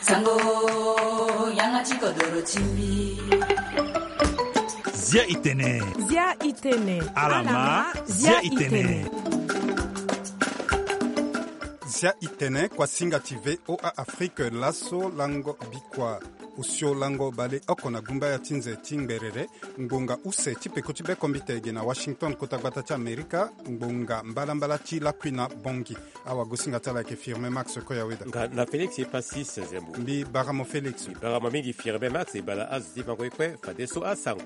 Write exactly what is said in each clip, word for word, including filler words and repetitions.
Sango, yanga ti kodoro ti mbi. Zia i tene. Zia i tene. Alama, zia i tene. Zia i tene, kuasinga ti V O A Afrique, laso lango bikua. Osio lango baleoko na gumba ya ti nze ti ngberere, ngbonga use ti peko ti bekombite ge na Washington, kota gbata ti Amerika, ngbonga mbalambala ti lakui na Bangui. Awagosinga ti ala ayeke Firmin Max Koyaweda. Nga na Félix Epasis Zembo. Mbi bara mo Félix. Mbi bara mo mingi Firmin Max, e bala azo ti bango ye kue, fadeso asango.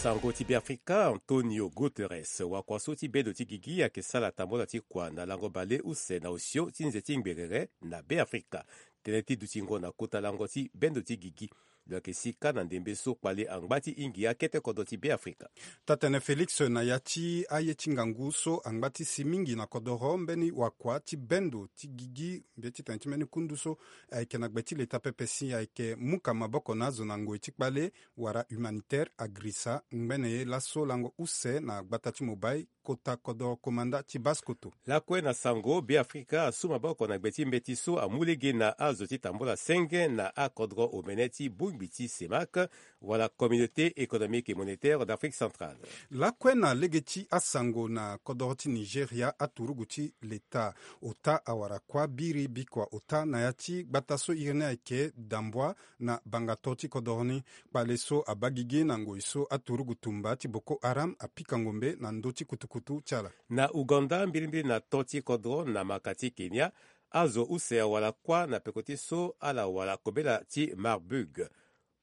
Sango ti Beafrika, Antonio Guterres, wakua so ti bendo ti gigi ayeke sara tambula ti kua na lango baleuse na osio ti nze ti ngberere na Beafrika. Tënë ti dutingo na kota lango ti bendo ti gigi. Lo yeke si kâ na ndembe so kpale angba ti hingi akete kodro ti Beafrika. Taa-tene Félix, na ya ti aye ti ngangu so angba ti si mingi na kodoro, mbeni wakua ti bendo ti gigi, mbi ye ti tene ti mbeni kundu so ayeke na gbe ti leta pepe si ayeke muka maboko na azo na ngoi ti kpale wala humanitaire agrisa ngbene ye laso lango use na gbata ti Mobay, kota kodoro komanda ti Basse-Kotto. Lakue na sango, Beafrika asu maboko na gbe ti mbeti so amu lege na azo ti tambula senge na akodro omene ti bongbi ti CEMAC, wala Communauté économique et monétaire d'Afrique centrale. Lakue na lege ti asango, na kodoro ti Nigeria, aturugu ti leta, ota awara kuâ biri bikua ota na ya ti gbata so iri ni ayeke Dambwa, na bangato ti kodoro ni. Kpale so abaa gigi na ngoi so aturugu tumba ti Boko Haram apika ngombe na ndö ti kutukutu ti ala. Na Ouganda, mbirimbiri na to ti kodro na maka ti Kenya, azo use awara kuâ na peko ti so ala wara kobela ti Marburg.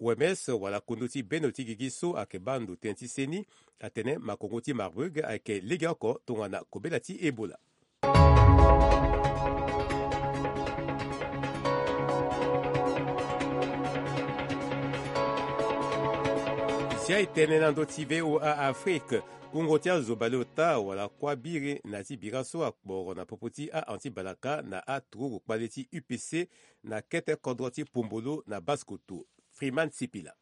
O M S wala kundu ti bendo ti gigi so ayeke baa ndo tënë ti seni atene makongo ti Marburg ayeke legeoko tongana kobela ti Ebola. Zia e tene na ndö ti V O A Afrique. Wungo ti azo baleota wala kuâ biri na ti bira so akporo na popo ti a-anti-balaka na aturugu kpale ti U P C na kete kodro ti Pombolo na Basse-Kotto. Freeman Sipila.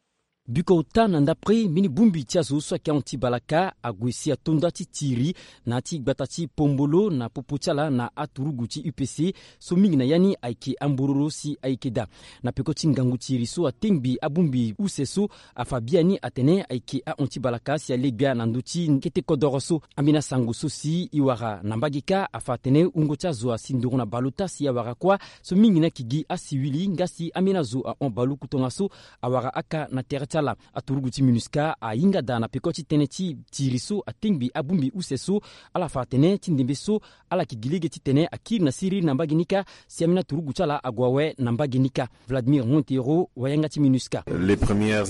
Biko ota na ndapre mbeni bongbi ti azo so ayeke ahon ti balaka ague si ato nda ti tiri na ya ti gbata ti Pombolo na popo ti ala na aturugu ti U P C, so mingi na ya ni ayeke ambororo si ayeke daa. Na peko ti ngangu tiri so atengbi abongbi use so afa biani atene ayeke ahon ti balaka si alegbia na ndö ti kete kodoro so. Ambeni asango so si e wara na mbage kâ afa atene wungo ti azo asi nduru na baleota si awara kuâ so mingi ni ayeke gi asiwili nga si ambeni azo ahon baluku tongaso awara aka na tere ti ala. Aturugu ti MINUSCA ahinga daa na peko ti tënë ti tiri so atengbi abongbi use so. Ala fa atene ti ndembe so ala yeke gi lege titene akiri na siriri na mbage ni kâ si ambeni aturugu ti ala ague awe na mbage ni kâ. Vladimir Montero, wayanga ti MINUSCA.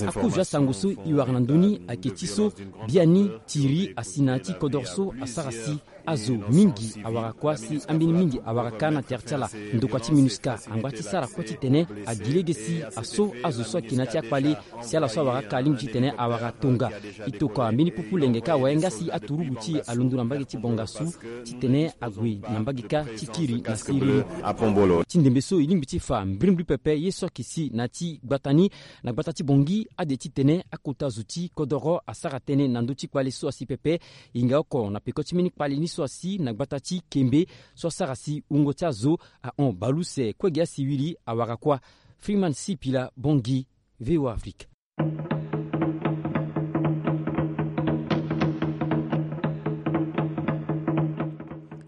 Akozo asango so e wara na ndö ni ayeke ti so biani tiri asi na ya ti kodoro so asara si azo mingi awara kuâ si ambeni mingi awara kâ na tere ti ala. Ndokua ti MINUSCA angba ti sara kue titene agi lege si aso azo so ayeke na ya ti akpale si ala so awara aka alingbi titene awara tonga. E tokua mbeni pupu lenge kâ awe nga si aturugu ti e alondo na mbage ti bongasu titene ague na mbage kâ ti kiri na siriri. Ti ndembe so e lingbi ti fa mbirimbiri pepe ye so ayeke si na ya ti gbata ni. Na gbata ti Bangui, ade titene akota zo ti kodoro asara tënë na ndö ti kpale so asi pepe. E hinga oko na peko ti mbeni kpale ni so asi na gbata ti Kembe so asara si wungo ti azo ahon baleuse kue gi asiwili awara kuâ. Freeman Sipila, Bangui, V O A Afrique.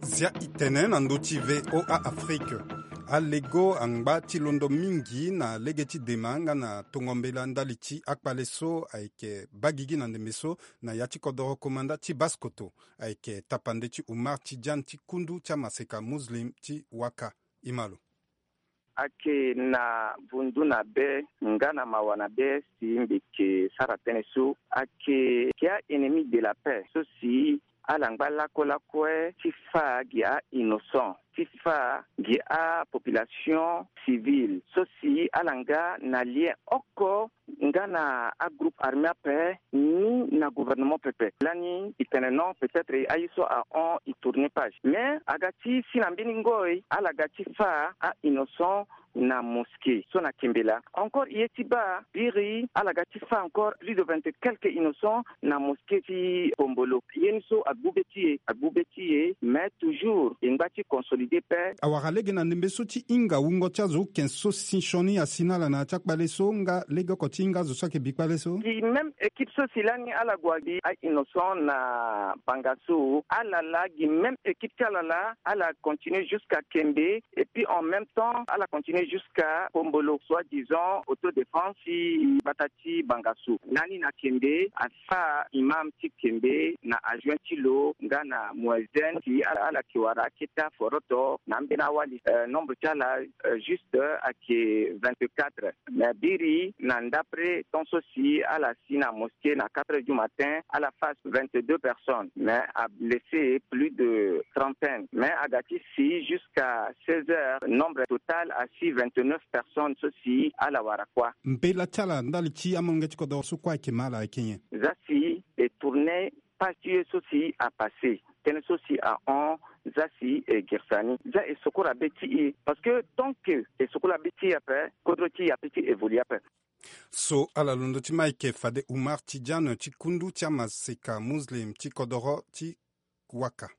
Zia e tene na ndö ti V O A Afrique. Alego angba ti londo mingi na lege ti dema nga na tongo mbela ndali ti akpale so ayeke baa gigi na ndembe so na ya ti kodoro komanda ti Basse-Kotto. Ayeke tapande ti Oumar Tidiane ti kundu ti amaseka Muslim ti Ouaka. E ma lo. Ayeke na vundu na be nga na mawa na be si mbi yeke sara tënë so ayeke, ayeke a-ennemi de la paix so si ala ngba lakue lakue ti fâ gi a-innocent, ti fâ gi apopulation civile so si ala nga na lien oko nga na agroupe armé ape ni na gouvernement pepe. Lani e tene non, peut-être aye so ahon e tourner page, mais aga ti si na mbeni ngoi ala ga ti fâ a-innocent na mosquée so na Kembela. Encore ye ti baa biri ala ga ti fa encore plus de vingt et quelques innocents na mosquée ti Pombolo. Ye ni so agbu be ti e, agbu be ti e, mais toujours e ngba ti consolider pe. Awara lege na ndembe so ti hinga wungo ti azo oken so si sioni asi na ala na ya ti akpale so nga lege oko ti hinga azo so ayeke bi kpale so. Gi même équipe so si lani ala gue abi a innocent na banga so ala laa gi même équipe ti ala laa ala continue jusqu'à Kembe. Et puis en même temps ala continue jusqu'à Pombolo, soit disant autodéfense ti bata ti banga so. Lani na Kembe afa imam ti Kembe na adjoint ti lo nga na muezen si ala ala ke wara aketa foroto na ambeni awali. Nombre ti ala juste ayeke vingt-quatre. Mais biri na ndapre temps so si ala si na mosquée na quatre heures du matin ala fa vingt-deux personnes mais ablesse plus de trentaine mais aga ti si jusqu'à seize heures nombre total asi vingt-neuf personnes so si ala wara kua. Mbela ti ala ndali ti amolenge ti kodoro so kue ayeke ma ala ayeke nyen? Za si e tourne page ti ye so si apasse tënë so si ahon. Za si e girisa ni za e sokora be ti e parce que tant que e sokora be ti e ape kodro ti e ape ti évoluer ape. So ala londo ti ma ayeke fade Umar Tidiane ti kundu ti amaseka muslim ti kodoro ti Waka.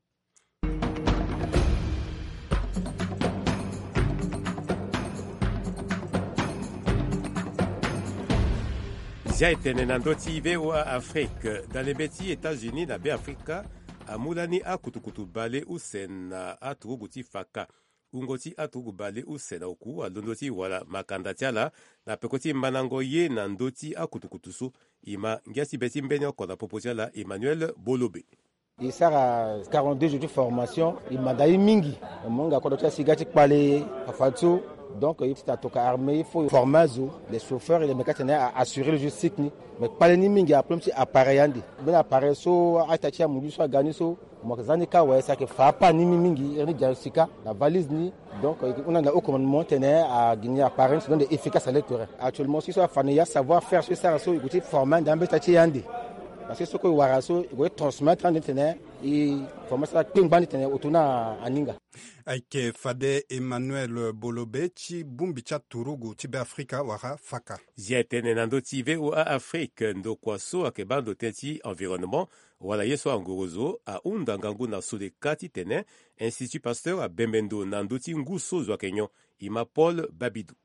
Zia etene na ndö ti VOA Afrique. Dalembe ti États-Unis na Beafrika amu lani akutukutu bale use na aturugu ti faka. Wungo ti aturugu bale use na oku alondo ti wara makanda ti ala na peko ti mandango ye na ndö ti akutukutu so. E ma ngia ti be ti mbeni oko na popo ti ala Emmanuel Bolobe. E sara quarante-deux jours ti formation, e manda ye mingi. Mo hinga kodro ti asi ga ti kpale afa ti so. Donc ye ti tene atoka armée il faut former azo, les chauffeurs et les mécaniciens a assurer logistique ni. Mais kpale ni mingi aproblème ti appareil ande. Mbeni appareil so a-ita ti amundu so aga ni so mo yeke za ni kâ awe si ayeke fa apa ni mingi iri ni diagnostic na valise ni. Donc e yeke hunda na haut commandement ti tene agi ni appareil ni si donde efficace à l'électorat. Actuellement si so afa na e asavoir faire so e sara so e gue ti former ande ambeta ti e ande. Parce que so kue e wara so e gue ti transmettre ande ti tene e former so akpengba ni ti tene oto ni aninga. Ayeke fade Emmanuel Bolobe ti bongbi ti aturugu ti Beafrika wala faka. Zia etene na ndö ti VOA Afrique ndokua so ayeke baa ndo tënë ti environnement wala ye so angorozo ahunda ngangu na Sodeka ti tene Institut Pasteur abembe ndo na ndö ti ngu so zo ayeke nyon. E ma Paul Babidou.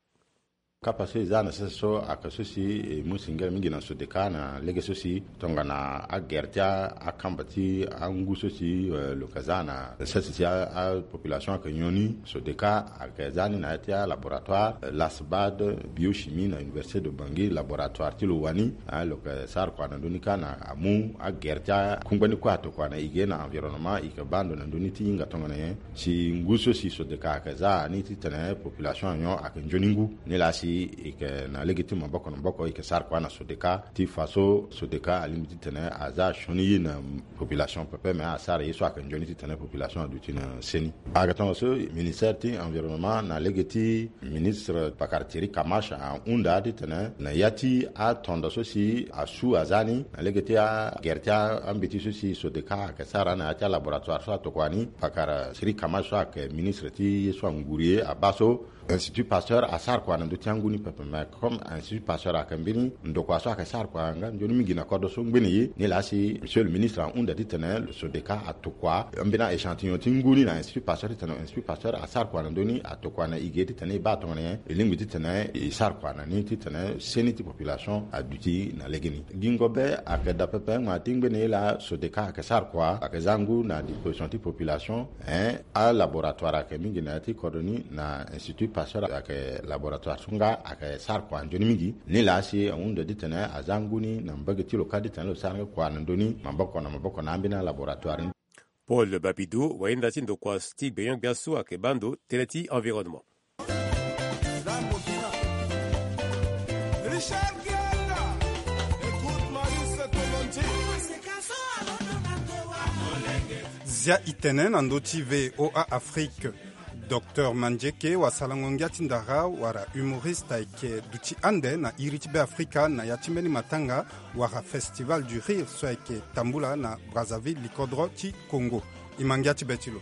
Kapa so e za na sese so ayeke so si e mu singila mingi na Sodeka na lege so si tongana agere ti akamba ti angu so si lo yeke za na sese si apopulation ayeke nyon ni. Sodeka ayeke za ni na ya ti alaboratoire Lasbad Biochimie na Université de Bangui, laboratoire ti lo wani. Lo yeke sara kua na ndö ni kâ na amu agere ti akungba ni kue atokua na e ge na environnement e yeke baa ndo na ndö ni ti hinga tongana nyen. Si ngu so si Sodeka ayeke za ni ti tene population anyon ayeke nzoni ngu. Nilaa si e yeke na lege ti maboko na maboko e yeke sara kua na Sodeka ti fa so Sodeka alingbi ti tene aza sioni ye na population pepe me asara ye so ayeke nzoni ti tene population aduti na seni. Ayeke tongaso ministère ti environnement na lege ti ministre pakara Thierry Kamache ahunda ti tene na ya ti atondo so si asu aza ni na lege ti agere ti ambeti so si Sodeka ayeke sara na ya ti alaboratoire so atokua ni pakara Thierry Kamache so ayeke ministre ti ye so anguru ye abaa so Institut Pasteur asara kua na ndö ti angu ni pepe me comme Institut Pasteur ayeke mbeni ndokua so ayeke sara kua nga nzoni mingi na kodro so ngbene ye. Nilaa si monsieur le ministre ahunda ti tene Sodeka atokua mbeni a-échantillon ti ngu ni na Institut Pasteur ti tene Institut Pasteur asara kua na ndö ni atokua na e ge ti tene e baa tongana nyen e lingbi ti tene e sara kua na ni ti tene seni ti population aduti na legeni. Gingo be ayeke daa pepe ma ti ngbene ye laa Sodeka ayeke sara kua ayeke za ngu na disposition ti population. Alaboratoire ayeke mingi na ya ti kodro ni na Institut Pasteur ayeke laboratoire so nga ayeke sara kua nzoni mingi. Nilaa si ahunda ti tene aza ngu ni na mbage ti lo kâ ti tene lo sara nga kua na ndö ni maboko na maboko na ambeni alaboratoire ni. Paul Babidou wahinda ti ndokua ti gbenyo-gbia so ayeke baa ndo tënë ti environnement. Zia itene na ndö ti VOA Afrique. Docteur Mandieke wasalango ngia ti ndara wala humoriste ayeke duti ande na iri ti Beafrika na ya ti mbeni matanga wala Festival du Rire so ayeke tambula na Brazzaville, likodro ti Congo. E ma ngia ti be ti lo.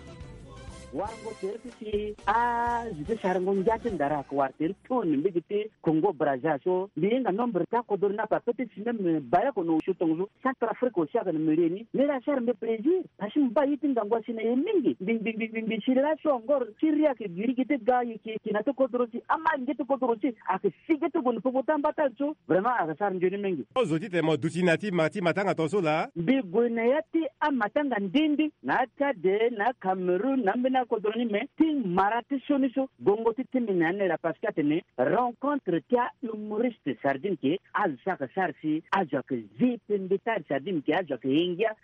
Warango tere ti si azo ti sarango ngia ti ndara ake wara tere ti toni mbege ti Congo Brazza so mbi hinga nombre ti akodoro ni ape ape ti si même bare oko na osio tongaso Centrafrique aussi ake na mbi rie ni. Ni la asara mbi plaisir parce que mbi baa ye ti ngangu asi na e mingi. Mbi mbi mbi mbi si la so encore ti ri ake gi ri gi ti ga ye ki ye ki na ti kodoro si ama ngia ti kodoro si ake si gi ti gue na popo ti amba ti ala so. Vraiment ake sara nzoni mingi. Ozo ti tene mo duti na ti ma ti matanga tongaso laa. Mbi gue na ya ti amatanga ndindi na atchad, na acameroun, na ambeni akodro ni me ti mara ti sioni so. Gongo ti ti mbi na ya ni laa parce que atene rencontre ti ahumoriste sardine ke azo so ake sara si azo ake zi pembe ti ala sardine ke azo ake ye ngia.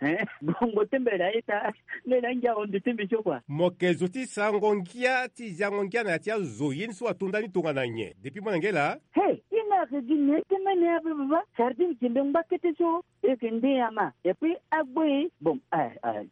Gongo ti mbi laa aita. Ni laa ngia ahundu ti mbi so kua. Mo yeke zo ti sarango ngia ti ziango ngia na ya ti azo ye ni so ato ndani tongana nyen depuis molenge laa? He, ye ni ake gi na ye ti mene ape baba sardine ke mbi ngba kete so. Eke nde ama epui agbo e. Bon,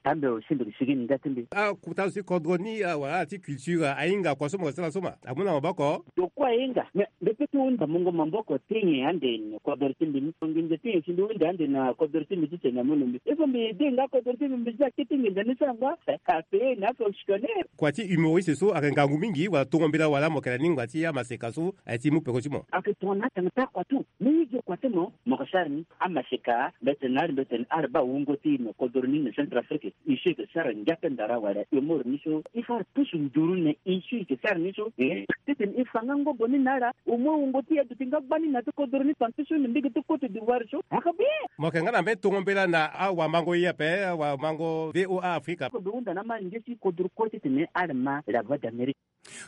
tambe osimbi sigi ni nda ti mbi. Akuta zo ti kodro ni wala ala ti culture ahinga kua so mo yeke sara so ma amu na maboko. Tokua ahinga me mbi pe ti hunda mungo maboko ti nyen ande na kodro ti mbi ni nginza ti nyen si mbi hunda ande na kodro ti mbi ti tene amu na mbi il faut mbi de nga kodro ti mbi mbi za kete nginza ni so angba. Ape na fonctionner. Kua ti humoriste so ayeke ngangu mingi wala tongo mbela wala mo yeke na lingba ti amaseka so aye ti mu peko ti mo. Ayeke tongana atanga ti akua tu. Ni ye gi kua ti mo mo yeke sara ni. Amaseka mbetene ari mbetene ari baa wungo ti e na kodoro ni na Centrafrique. E so e yeke sara ngia pe ndara wala e moro ni so e fa ari pusu nduru na e so e yeke sara ni so. Titene e fa nga ngobo ni na ala au moins wungo ti e aduti nga gbani na ti kodoro ni tonga ti so na mbege ti Côte d'Ivoire so ayeke bien. Mo yeke nga na mbeni tongo mbela na awamango ye ape awamango VOA Afrika. Kodoro hunda na ama nge ti kodoro kue titene ala ma la voix d'Amérique.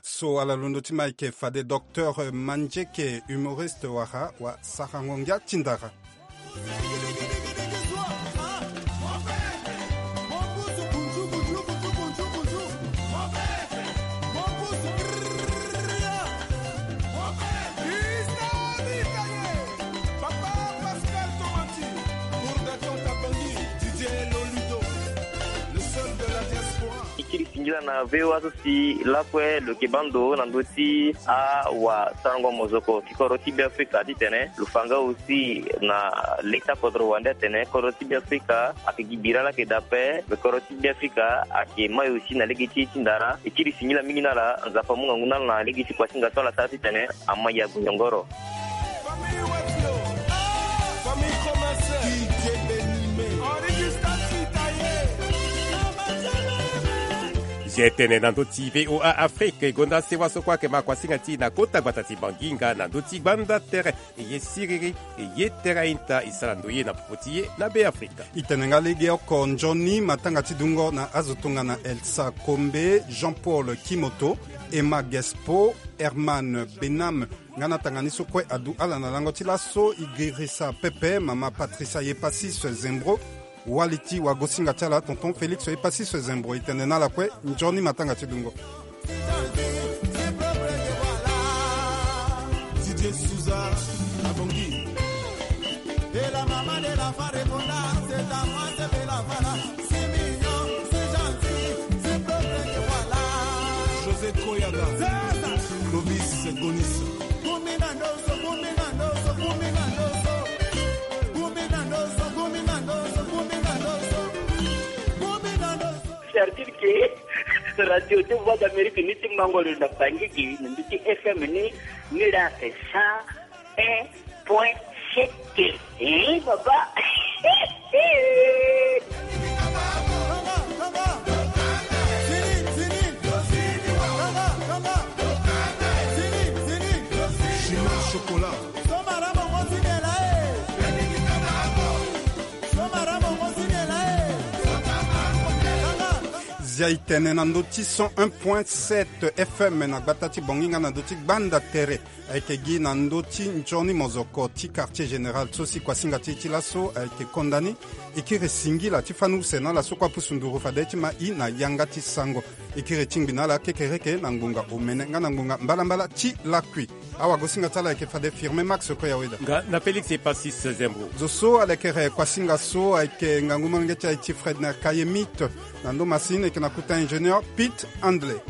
So ala londo ti ma eke fade docteur Mandieke humoriste wara wa sarango ngia ti ndara. Ti kiri singila na VOA so si lakue lo yeke baa ndo na ndö ti awasarango mozoko ti kodro ti Beafrika titene lo fa nga aussi na le ti akodro wande atene kodro ti Beafrika ayeke gi bira laa ayeke daa ape. Me kodro ti Beafrika ayeke mai aussi na lege ti ye ti ndara. E kiri singila mingi na ala. Nzapa amu ngangu na ala na lege ti kuasinga so ala sara titene ama ya gue nyongoro. Zia e tene na ndö ti VOA Afrique e gonda sewa so kue ayeke ma kuasinga ti e na kota gbata ti Bangi nga na ndö ti gbanda tere. E ye siriri e ye tere a-ita e sara ndoye na popo ti e na Beafrika. E tene nga legeoko nzoni matanga ti dungo na azo tongana Elsa Kombe, Jean-Paul Kimoto, Emma Gespo, Herman Benam. Nga na tanga ni so kue adu ala na lango ti laso. E girisa pepe mama Patricia Yepasis Zembro. Wali ti wagosinga ti ala tonton Félix Yepasis Zembro e tene na ala kue nzoni matanga ti dungo. Didier Souza abongi. Et la maman de la femme répondant, c'est à moi, c'est de la femme. José Koyada, Clovis Gonis. C'est-à-dire que radio ti Voix d'Amérique ni ti Mangoro na Bangui gi na ndö ti F M ni, ni la c'est cent un point sept. Eh, papa. Chocolat. Zia e tene na ndö ti cent un point sept F M na gbata ti Bongi nga na ndö ti gbanda tere. Ayeke gi na ndö ti nzoni mozoko ti quartier général so si kuasinga ti e ti laso ayeke konda ni. E kiri singila ti fani use na ala so kue apusu nduru fade ti ma i na yanga ti sango. E kiri tingbi na ala kekereke na ngbonga omene nga na ngbonga mbalambala ti lakui. Awagosinga ti ala ayeke fade Firme Max Koyaweda. Nga na Félix Epasis Zembro. Zo so alekere kuasinga so ayeke ngangu molenge ti aye ti Fredner Kayemite. Na ndo masini ayeke na kuta ingénieur Pete Handley.